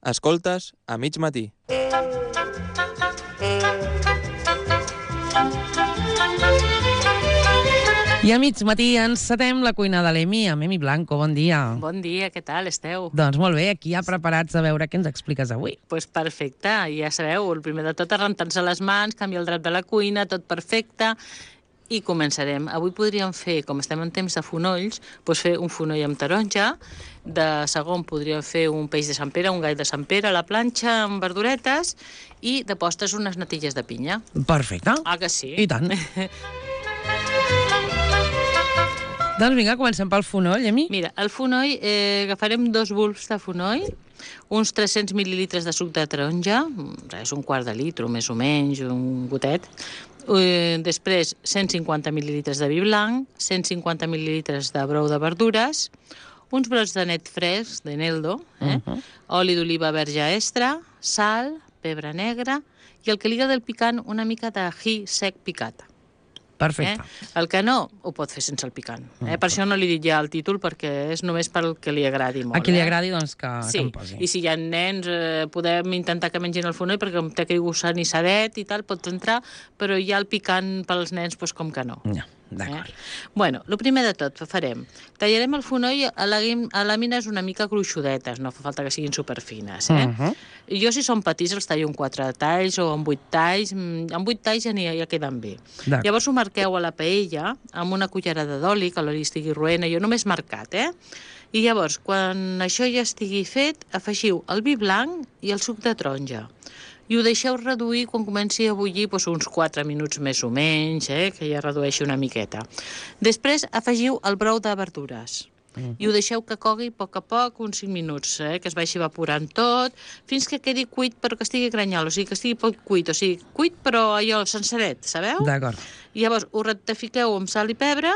Escoltes a mig matí. I a mig matí encetem la cuina de l'Emi, amb Emi Blanco. Bon dia. Bon dia, què tal esteu? Doncs molt bé, aquí ja preparats a veure què ens expliques avui. Pues perfecte, ja sabeu, el primer de tot és rentar-se les mans, canviar el drap de la cuina, tot perfecte, i començarem. Avui podríem fer, com estem en temps de fonolls, doncs fer un fonoll amb taronja, de segon podríem fer un peix de Sant Pere, un gall de Sant Pere a la planxa amb verduretes, i de postres unes natilles de pinya. Perfecte. Ah, que sí? I tant. Doncs vinga, comencem pel fonoll, Emi. Mira, el fonoll, agafarem 2 bulbs de fonoll, uns 300 mil·lilitres de suc de taronja, és un quart de litre, més o menys, un gotet. Després, 150 mil·lilitres de vi blanc, 150 mil·lilitres de brou de verdures, uns brots de net fresc, de Neldo, oli d'oliva verge extra, sal, pebre negre, i el que liga del picant, una mica d'ají sec picat. Perfecte. El que no, ho pot fer sense el picant. Per això no li dic ja el títol, perquè és només pel que li agradi molt. A qui li agradi, doncs, que sí. em posi. I si hi ha nens, podem intentar que mengin el fonoll, perquè com té aquell gust anissadet i tal, pots entrar, però ja el picant pels nens, doncs com que no. No, d'acord. Bueno, el primer de tot farem, tallarem el fonoll a làmines una mica gruixudetes, no fa falta que siguin superfines. Jo, si són petits, els tallo en 4 talls o en 8 talls. En 8 talls ja queden bé. Llavors ho marqueu a la paella amb una cullerada d'oli, que l'oli estigui roent, jo només marcat, I llavors, quan això ja estigui fet, afegiu el vi blanc i el suc de taronja. I ho deixeu reduir quan comenci a bullir uns 4 minuts més o menys, que ja redueixi una miqueta. Després afegiu el brou de verdures i ho deixeu que cogui a poc, uns 5 minuts, que es vagi evaporant tot, fins que quedi cuit però que estigui granyol, o sigui, que estigui poc cuit, o sigui, cuit però allò sensaret, sabeu? D'acord. I llavors ho rectifiqueu amb sal i pebre,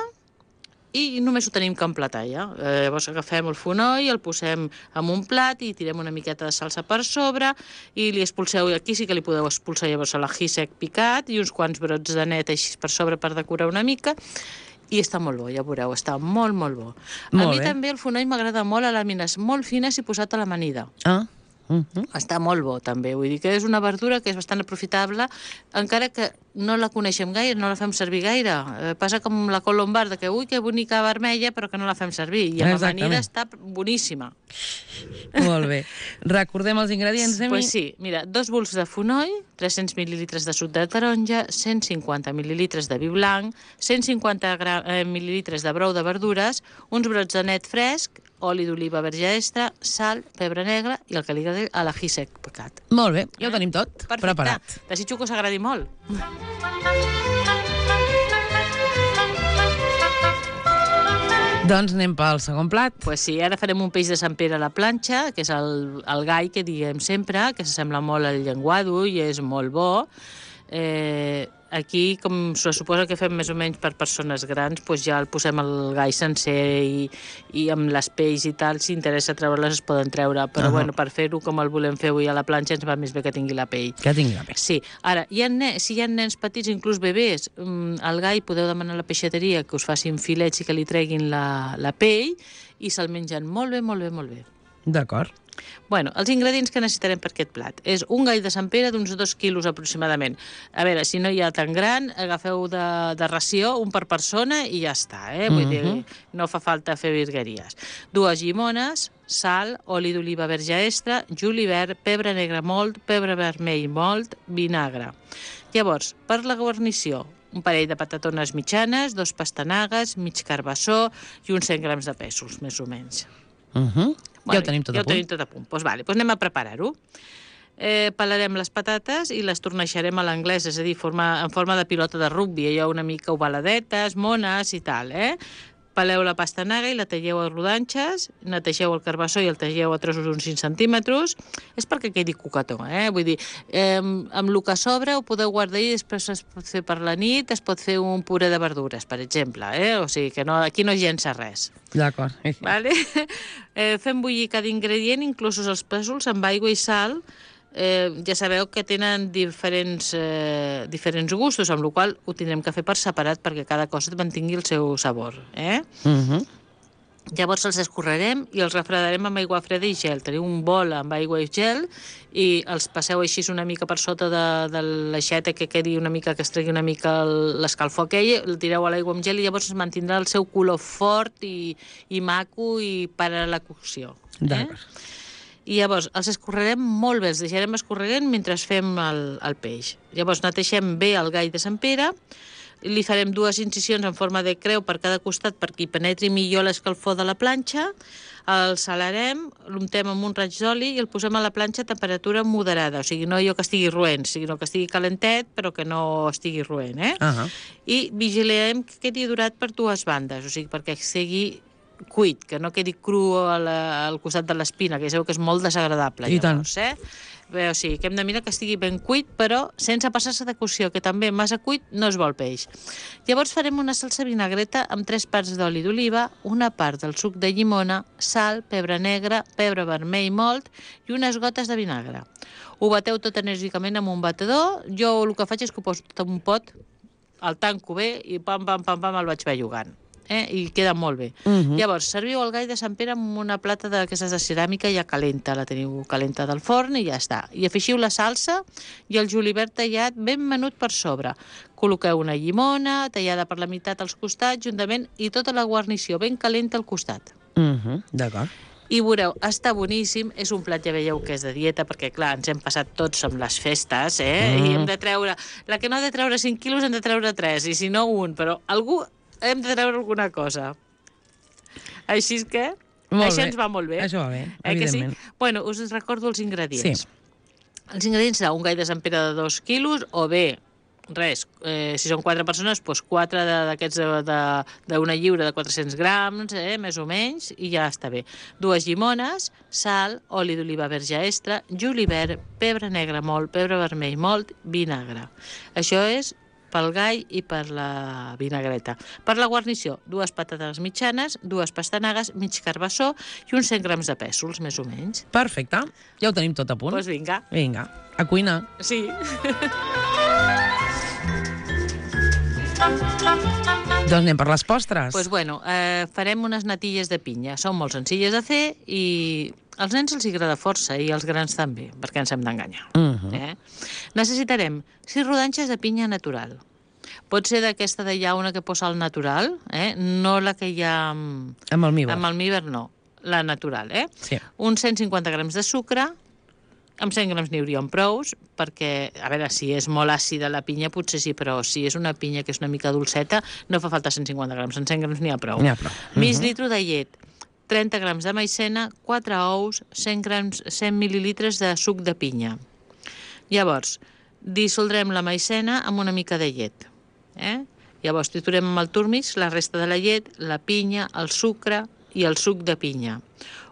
i només ho tenim que emplatar ja. Llavors agafem el fonoll, el posem en un plat i tirem una miqueta de salsa per sobre i li expulseu, aquí sí que li podeu expulsar llavors l'ají sec picat i uns quants brots de net així per sobre per decorar una mica i està molt bo, ja veureu, està molt, molt bo. A mi també el fonoll m'agrada molt a làmines molt fines i posat a l'amanida. Està molt bo també, vull dir que és una verdura que és bastant aprofitable, encara que no la coneixem gaire, no la fem servir gaire. Passa com la col lombarda, que ui, que bonica vermella, però que no la fem servir. I amb amanida està boníssima. Molt bé. Recordem els ingredients, Emi? Pues sí, mira, 2 bulbs de fonoll, 300 mil·lilitres de suc de taronja, 150 mil·lilitres de vi blanc, 150 mil·lilitres de brou de verdures, uns brots de net fresc, oli d'oliva verge extra, sal, pebre negre i el que li agradi a l'ají sec picat. Molt bé, ja ho tenim tot preparat. Desitjo que us agradi molt. Doncs anem pel segon plat. Pues sí, ara farem un peix de Sant Pere a la planxa, que és el gall que diem sempre, que s'assembla molt al llenguado i és molt bo. Aquí, com se suposa que fem més o menys per persones grans, doncs ja el posem el gall sencer i amb les pells i tal, si interessa treure-les es poden treure, però bueno, per fer-ho com el volem fer avui a la planxa ens va més bé que tingui la pell. Que tingui la pell. Sí. Ara, si hi ha nens petits, inclús bebès, al gall podeu demanar a la peixateria que us facin filets i que li treguin la pell i se'l mengen molt bé, molt bé, molt bé. D'acord. Bueno, els ingredients que necessitarem per aquest plat és un gall de Sant Pere d'uns 2 quilos aproximadament. A veure, si no hi ha tan gran, agafeu de ració un per persona i ja està, Vull dir, no fa falta fer virgueries. 2 llimones, sal, oli d'oliva verge extra, julivert, pebre negre molt, pebre vermell molt, vinagre. Llavors, per la guarnició, un parell de patatones mitjanes, 2 pastanagues, mig carbassó i uns 100 grams de pèsols, més o menys. Ja ho tenim tot a punt. Ja ho tenim tot a punt. Doncs anem a preparar-ho. Pelarem les patates i les torneixarem a l'anglès, és a dir, en forma de pilota de rugbi, allò una mica ovaladetes, mones i tal, Peleu la pastanaga i la talleu a rodanxes, netegeu el carbassó i el talleu a trossos uns 5 centímetres. És perquè quedi cucató, Vull dir, amb el que sobra ho podeu guardar i després es pot fer per la nit, es pot fer un puré de verdures, per exemple, O sigui que aquí no llença res. D'acord. Vale? Fem bullir cada ingredient, inclosos els pèsols, amb aigua i sal. Ja sabeu que tenen diferents gustos, amb la qual cosa ho tindrem que fer per separat perquè cada cosa mantingui el seu sabor. Llavors els escorrerem i els refredarem amb aigua freda i gel. Teniu un bol amb aigua i gel i els passeu així una mica per sota de l'aixeta, que quedi una mica, que es tregui una mica l'escalfor aquell, el tireu a l'aigua amb gel i llavors es mantindrà el seu color fort i maco i per a la cocció. D'acord. I llavors els escorrerem molt bé, els deixarem escorregant mentre fem el peix. Llavors neteixem bé el gall de Sant Pere, li farem 2 incisions en forma de creu per cada costat perquè hi penetri millor l'escalfor de la planxa, el salarem, l'untem amb un raig d'oli i el posem a la planxa a temperatura moderada, o sigui, no allò que estigui roent, sinó que estigui calentet però que no estigui roent, I vigilem que quedi durat per 2 bandes, o sigui, perquè sigui cuit, que no quedi cru al costat de l'espina, que ja sabeu que és molt desagradable. I tant. Bé, o sigui, que hem de mirar que estigui ben cuit, però sense passar-se de cocció, que també massa cuit no es vol peix. Llavors farem una salsa vinagreta amb 3 parts d'oli d'oliva, una part del suc de llimona, sal, pebre negre, pebre vermell molt i unes gotes de vinagre. Ho bateu tot enèrgicament amb un batedor. Jo el que faig és que ho poso tot en un pot, el tanco bé i pam, el vaig bellugant. I queda molt bé. Llavors, serviu el gall de Sant Pere amb una plata d'aquestes de ceràmica ja calenta, la teniu calenta del forn i ja està. I afegiu la salsa i el julivert tallat ben menut per sobre. Col·loqueu una llimona tallada per la meitat als costats juntament i tota la guarnició ben calenta al costat. D'acord. I veureu, està boníssim, és un plat, ja veieu que és de dieta, perquè clar, ens hem passat tots amb les festes, i hem de treure, la que no ha de treure 5 quilos hem de treure 3, i si no 1, però algú hem de treure alguna cosa. Així és que això ens va molt bé. Això va bé, evidentment. Que sí? Bueno, us recordo els ingredients. Sí. Els ingredients seran un gall de Sant Pere de 2 quilos, o bé, res, si són 4 persones, doncs 4 d'aquests d'una lliura de 400 grams, més o menys, i ja està bé. 2 llimones, sal, oli d'oliva verge extra, julivert, pebre negre molt, pebre vermell molt, vinagre. Això és pel gall i per la vinagreta. Per la guarnició, 2 patates mitjanes, 2 pastanagues, mig carbassó i uns 100 grams de pèsols, més o menys. Perfecte. Ja ho tenim tot a punt. Doncs vinga. Vinga, a cuinar. Sí. Doncs anem per les postres. Doncs bueno, farem unes natilles de pinya. Són molt senzilles de fer i als nens els agrada força i als grans també, perquè ens hem d'enganyar. Necessitarem 6 rodanxes de pinya natural. Pot ser d'aquesta de llauna que posa al natural, no la que hi ha... Amb almívar. Amb almívar no, la natural, Sí. Uns 150 grams de sucre, amb 100 grams n'hi haurien prous, perquè, a veure, si és molt àcida la pinya, potser sí, però si és una pinya que és una mica dolceta, no fa falta 150 grams, en 100 grams n'hi ha prou. N'hi ha prou. Mig litre de llet, 30 grams de maicena, 4 ous, 100 mil·lilitres de suc de pinya. Llavors, dissoldrem la maicena amb una mica de llet. Llavors, triturem amb el turmix la resta de la llet, la pinya, el sucre i el suc de pinya.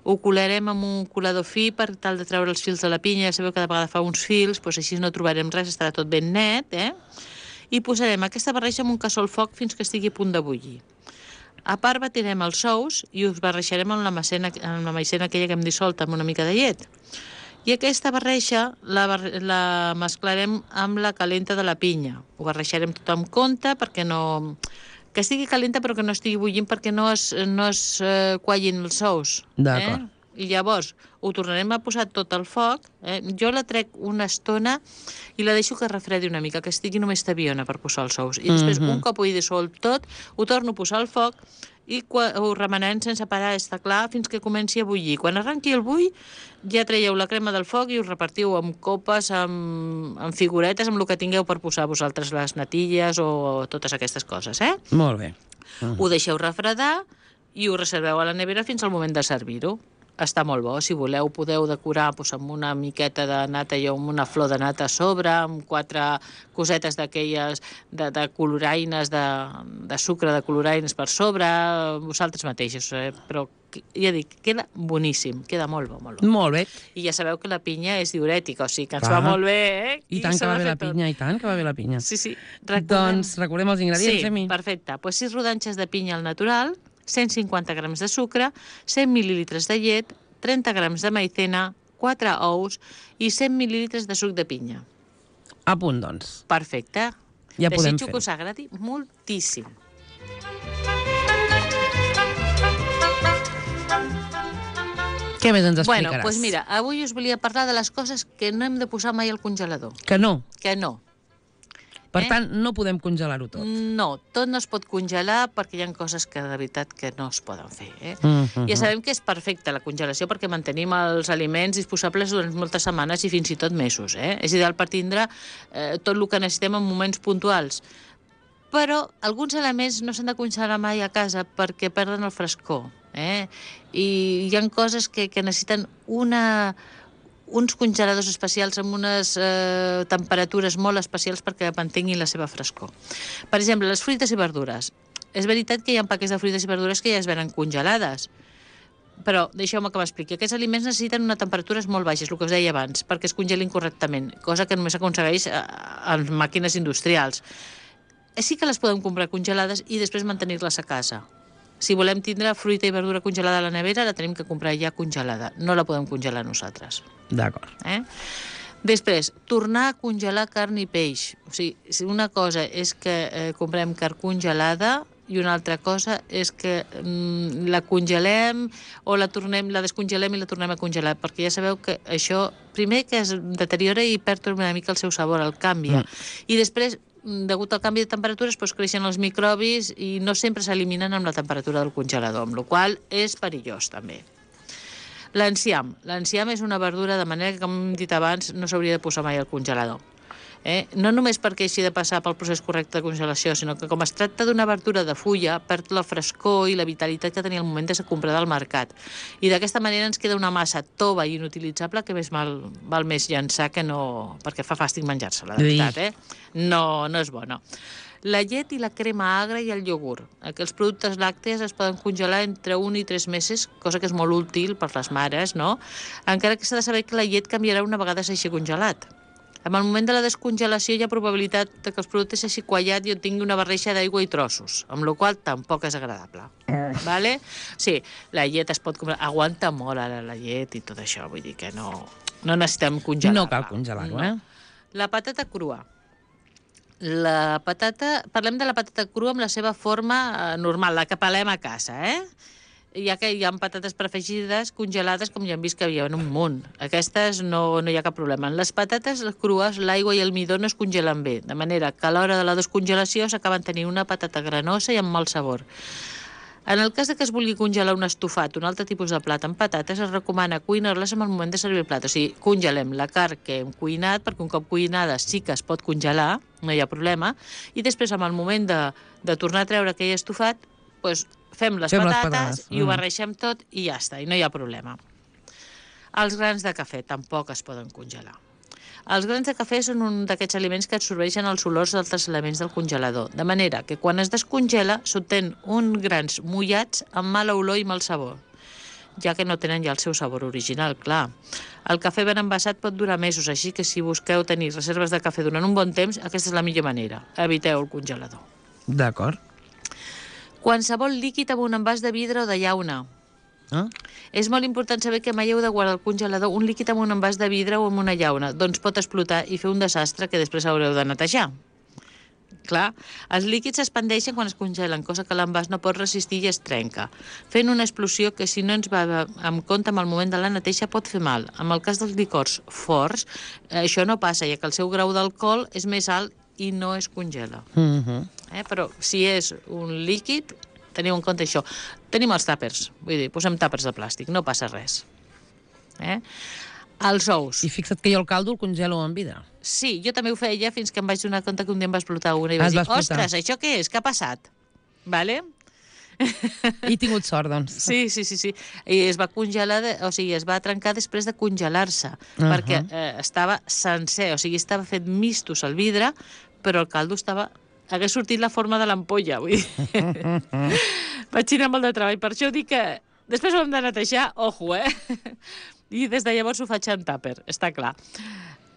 Ho colarem amb un colador fi per tal de treure els fils de la pinya. Ja sabeu que de vegada fa uns fils, doncs així no trobarem res, estarà tot ben net. I posarem aquesta barreja en un cassó al foc fins que estigui a punt de bullir. A part batirem els ous i us barrejarem amb la maicena aquella que hem dissolt amb una mica de llet. I aquesta barreja la mesclarem amb la calenta de la pinya. Ho barrejarem tot amb compte perquè no... Que estigui calenta però que no estigui bullint perquè no es quallin els ous. D'acord. I llavors ho tornarem a posar tot al foc. Jo la trec una estona i la deixo que refredi una mica, que estigui només tabiona per posar els ous. I després, un cop ho he dissolt tot, ho torno a posar al foc i ho remenarem sense parar, està clar, fins que comenci a bullir. Quan arrenqui el bull, ja traieu la crema del foc i us repartiu amb copes, amb figuretes, amb el que tingueu per posar vosaltres les natilles o totes aquestes coses, Molt bé. Ho deixeu refredar i ho reserveu a la nevera fins al moment de servir-ho. Està molt bo. Si voleu, podeu decorar amb una miqueta de nata i amb una flor de nata a sobre, amb 4 cosetes d'aquelles de coloraines, de sucre de coloraines per sobre, vosaltres mateixos. Però ja dic, queda boníssim, queda molt bo, molt bo. Molt bé. I ja sabeu que la pinya és diurètica, o sigui que ens va molt bé, I tant que va bé la pinya, i tant que va bé la pinya. Sí. Doncs recordem els ingredients, Emi. Sí, perfecte. 6 rodanxes de pinya al natural, 150 grams de sucre, 100 mil·lilitres de llet, 30 grams de maicena, 4 ous i 100 mil·lilitres de suc de pinya. A punt, doncs. Perfecte. Ja podem Desitjo fer-ho. que us agradi moltíssim. Què més ens Bueno, explicaràs? doncs mira, avui us volia parlar de les coses que no hem de posar mai al congelador. Que no. Que no. Per tant, no podem congelar-ho tot. No, tot no es pot congelar perquè hi ha coses que de veritat que no es poden fer. Ja sabem que és perfecta la congelació perquè mantenim els aliments disposables durant moltes setmanes i fins i tot mesos. És ideal per tindre tot el que necessitem en moments puntuals. Però alguns elements no s'han de congelar mai a casa perquè perden el frescor. I hi ha coses que necessiten uns congeladors especials amb unes temperatures molt especials perquè mantinguin la seva frescor. Per exemple, les fruites i verdures. És veritat que hi ha paquets de fruites i verdures que ja es venen congelades, però deixeu-me que m'expliqui. Aquests aliments necessiten unes temperatures molt baixes, el que us deia abans, perquè es congelin correctament, cosa que només s'aconsegueix en màquines industrials. Sí que les podem comprar congelades i després mantenir-les a casa. Si volem tindre fruita i verdura congelada a la nevera, la tenim que comprar ja congelada. No la podem congelar nosaltres. D'acord. Després, tornar a congelar carn i peix. O sigui, una cosa és que comprem carn congelada i una altra cosa és que la congelem o la descongelem i la tornem a congelar, perquè ja sabeu que això, primer que es deteriora i perd una mica el seu sabor, el canvia. I després, degut al canvi de temperatures, creixen els microbis i no sempre s'eliminen amb la temperatura del congelador, amb la qual cosa és perillós també. L'enciam. L'enciam és una verdura, de manera que, com hem dit abans, no s'hauria de posar mai al congelador. No només perquè així de passar pel procés correcte de congelació, sinó que com es tracta d'una verdura de fulla, perd la frescor i la vitalitat que tenia al moment de ser comprada al mercat. I d'aquesta manera ens queda una massa tova i inutilitzable que val més llançar que no... perquè fa fàstic menjar-se-la, de veritat, No és bona. La llet i la crema agra i el iogurt. Aquests productes làctees es poden congelar entre 1 i 3 mesos, cosa que és molt útil per les mares, no? Encara que s'ha de saber que la llet canviarà una vegada s'hagi congelat. En el moment de la descongelació hi ha probabilitat que els productes s'hagi quallat i tingui una barreja d'aigua i trossos, amb la qual cosa tampoc és agradable. Vale? Sí, la llet es pot comprar... Aguanta molt ara la llet i tot això, vull dir que no necessitem congelar-la. No cal congelar-ho, La patata crua. Parlem de la patata crua amb la seva forma normal, la que pelem a casa, ja que hi ha patates prefregides, congelades, com ja hem vist que hi ha un munt. Aquestes no hi ha cap problema. En les patates crues, l'aigua i el midó no es congelen bé, de manera que a l'hora de la descongelació s'acaben tenint una patata granosa i amb mal sabor. En el cas que es vulgui congelar un estofat, un altre tipus de plat amb patates, es recomana cuinar-les en el moment de servir el plat. O sigui, congelem la carn que hem cuinat, perquè un cop cuinada sí que es pot congelar, no hi ha problema, i després, en el moment de tornar a treure aquell estofat, fem les patates i ho barreixem tot i ja està, i no hi ha problema. Els grans de cafè tampoc es poden congelar. Els grans de cafè són un d'aquests aliments que absorbeixen els olors d'altres elements del congelador, de manera que quan es descongela s'obtenen uns grans mullats amb mala olor i mal sabor, ja que no tenen ja el seu sabor original, clar. El cafè ben envasat pot durar mesos, així que si busqueu tenir reserves de cafè durant un bon temps, aquesta és la millor manera. Eviteu el congelador. D'acord. Qualsevol líquid amb un envàs de vidre o de llauna. És molt important saber que mai heu de guardar al congelador un líquid amb un envàs de vidre o amb una llauna, doncs pot explotar i fer un desastre que després haureu de netejar. Clar, els líquids s'expandeixen quan es congelen, cosa que l'envàs no pot resistir i es trenca, fent una explosió que si no ens va en compte amb el moment de la neteja pot fer mal. En el cas dels licors forts, això no passa, ja que el seu grau d'alcohol és més alt i no es congela. Però si és un líquid, teniu en compte això. Tenim els tàpers, vull dir, posem tàpers de plàstic, no passa res. Els ous. I fixa't que jo el caldo el congelo en vidre. Sí, jo també ho feia fins que em vaig donar compte que un dia em va explotar una i vaig dir, ostres, això què és? Què ha passat? Vale? He tingut sort, doncs. Sí. I es va congelar, o sigui, es va trencar després de congelar-se, perquè estava sencer, o sigui, estava fet mistos al vidre, però el caldo hagués sortit la forma de l'ampolla, vull dir. Vaig tenir molt de treball, per això dic que després ho hem de netejar, ojo, I des de llavors ho faig en tàper, està clar.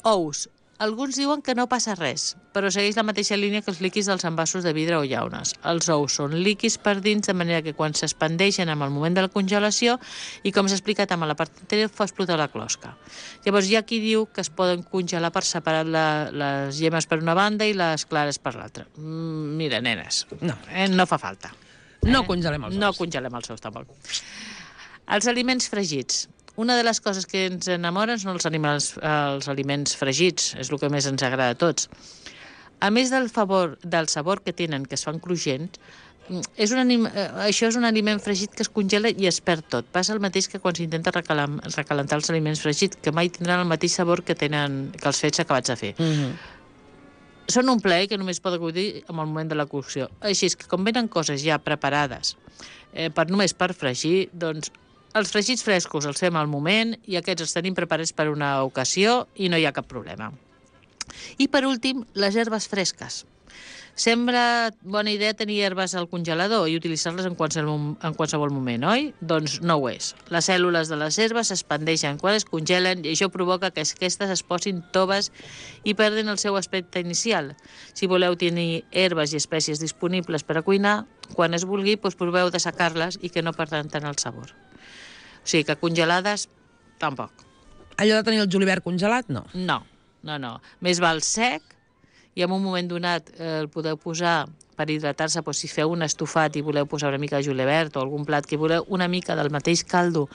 Ous. Alguns diuen que no passa res, però segueix la mateixa línia que els líquids dels envasos de vidre o llaunes. Els ous són líquids per dins, de manera que quan s'expandeixen en el moment de la congelació, i com s'ha explicat amb la part anterior, fa explotar la closca. Llavors hi ha qui diu que es poden congelar per separar les llemes per una banda i les clares per l'altra. Mira, nenes, no fa falta. No congelem els ous. No congelem els ous, tampoc. Els aliments fregits. Una de les coses que ens enamoren són els aliments fregits, és el que més ens agrada a tots. A més del sabor que tenen, que es fan cruixents, això és un aliment fregit que es congela i es perd tot. Passa el mateix que quan s'intenta recalentar els aliments fregits, que mai tindran el mateix sabor que els fets acabats de fer. Són un plaer que només pot gaudir en el moment de la cocció. Així és que com venen coses ja preparades només per fregir, doncs els fregits frescos els fem al moment i aquests els tenim preparats per una ocasió i no hi ha cap problema. I per últim, les herbes fresques. Sembla bona idea tenir herbes al congelador i utilitzar-les en qualsevol moment, oi? Doncs no ho és. Les cèl·lules de les herbes s'expandeixen quan es congelen i això provoca que aquestes es posin toves i perdin el seu aspecte inicial. Si voleu tenir herbes i espècies disponibles per a cuinar, quan es vulgui, doncs proveu d'assecar-les i que no perdran tant el sabor. O sigui que congelades, tampoc. Allò de tenir el julivert congelat, no? No. Més val sec, i en un moment donat el podeu posar per hidratar-se, doncs si feu un estofat i voleu posar una mica de julivert o algun plat que voleu una mica del mateix caldo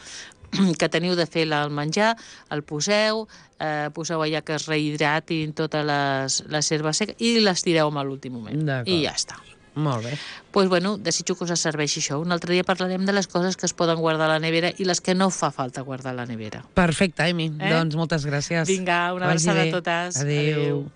que teniu de fer el menjar, el poseu allà que es rehidratin totes les herbes seques i les tireu a l'últim moment. I ja està. Molt bé. Doncs bueno, desitjo que us serveixi això. Un altre dia parlarem de les coses que es poden guardar a la nevera i les que no fa falta guardar a la nevera. Perfecte, Emi. Doncs moltes gràcies. Vinga, una abraçada a totes. Adéu.